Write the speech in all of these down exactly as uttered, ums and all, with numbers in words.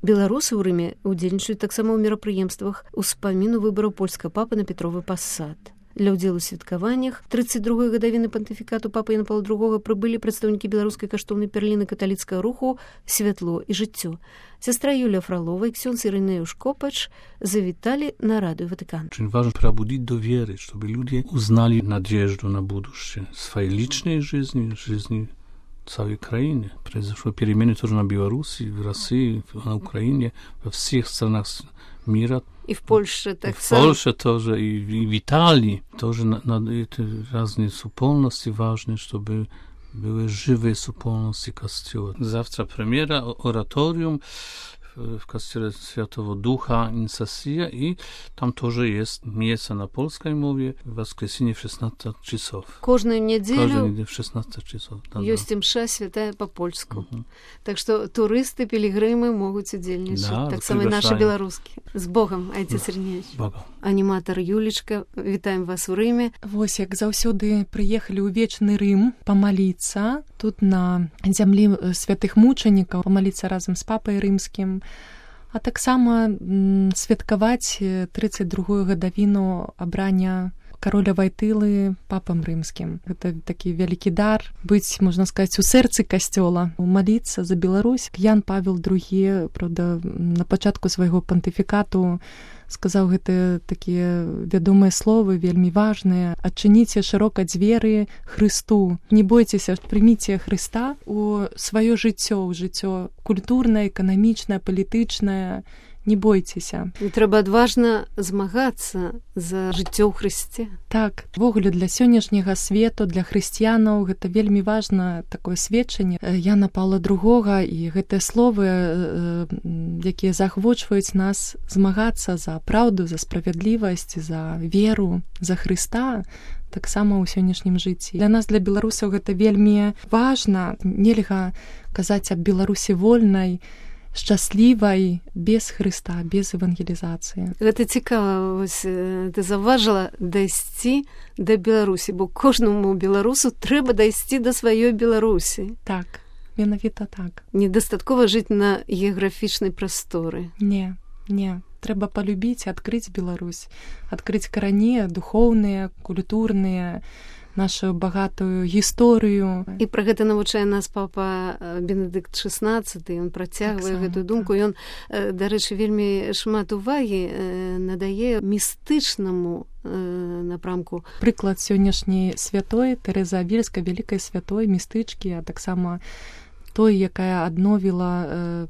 Беларусы ў Рыме удзельнічаюць таксама ў мерапрыемствах успаміну выбараў польскага папы на Петровы пасад. Для ўдзелу ў святкаваннях трыццаць другой гадавіны пантыфікату папы Яна Паўла другога прыбылі прадстаўнікі беларускай каштоўнай перліны каталіцкага руху «Святло і жыццё». Сестра Юлия Фролова и ксёндз Иринеуш Копач завитали на радио Ватикан. Очень важно пробудить до веры, чтобы люди узнали надежду на будущее своей личной жизни, жизни цałej краины. Произошло перемены тоже на Беларуси, в России, на Украине, во всех странах мира. И в Польше так и само. В Польше тоже, и в, и в Италии тоже на, на эти разные супольности важны, чтобы były żywe supolności Kościoła. Zawtra premiera, oratorium w Kościele Świętego Ducha Incesja i tam тоже jest miejsce na polskiej mowie w воскресенье w шестнадцать часов. Кожную неделю Каждую неделю в шестнадцать часов. Да, есть мша святая по-польску. Угу. Так что туристы, пилигримы могут удельничать. Да, так само и наши белорусские. С Богом, отец Риневич. Богом. Аніматар Юлечка, вітаем вас у Рыме. Вось, як заўсёды прыехалі ў вечны Рым памаліцца, тут на зямлі святых мучанікаў, памаліцца разам з папай рымскім, а таксама святкаваць трыццаць другую гадавіну абрання кароля Вайтылы папам рымскім. Гэта такі вялікі дар быць, можна сказаць, у сэрцы касцёла, маліцца за Беларусь. Ян Павел другі, правда, на пачатку свайго пантыфікату сказаў гэтыя такія вядомыя словы, вельмі важныя. Адчыніце шырока дзверы Хрысту. Не бойцеся, прыміце Хрыста у сваё жыццё, у жыццё культурнае, эканамічнае, палітычнае. Не бойцеся. І трэба адважна змагацца за жыццё ў Хрысце. Так, ввогуле для сённяшняга свету, для хрысціянаў гэта вельмі важна такое сведчанне Яна Паўла другога і гэтыя словы, якія заахвочваюць нас змагацца за праўду, за справядлівасць, за веру, за Хрыста, таксама ў сённяшнім жыцці. Для нас, для беларусаў, гэта вельмі важна. Нельга казаць аб Беларусі вольнай, шчаслівай без Хрыста, без евангелізацыі. Гэта цікава, вось ты заўважыла дайсці да Беларусі, бо кожнаму беларусу трэба дайсці да сваёй Беларусі. Так, менавіта так. Недастаткова жыць на геаграфічнай прасторы. Не, не. Трэба палюбіць, адкрыць Беларусь, адкрыць карані духоўныя, культурныя, нашу багатую гісторыю. І пра гэта навучае нас папа Бенедыкт шестнадцаты, ён працягвае так гэтую думку. Так. Ён, дарэчы, вельмі шмат увагі надае містычнаму напрамку. Прыклад сённяшняй святой Тэрэзы Авільскай, вялікай святой, містычкі, а таксама той, якая адновіла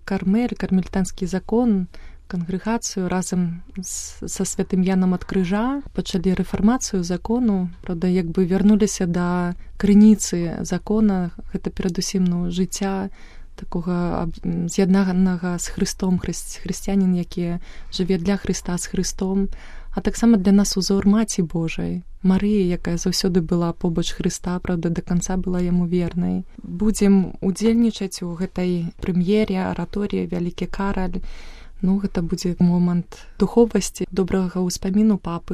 Кармель, кармелітанскі закон, кангрэгацыю разам са святым Янам ад крыжа, пачалі рэфармацыю закону, правда, як бы вярнуліся да крыніцы закона, гэта перадусім ну, жыцця такога з'яднанага з Хрыстом, хрысціянін, які жыве для Хрыста з Хрыстом, а таксама для нас узор Маці Божай, Марыі, якая заўсёды была побач Хрыста, правда, да канца была яму вернай. Будзем удзельнічаць у гэтай прэм'ере, араторыі «Вялікі Караль». Ну, гэта будзе момант духовасці, добрага ўспаміну папы.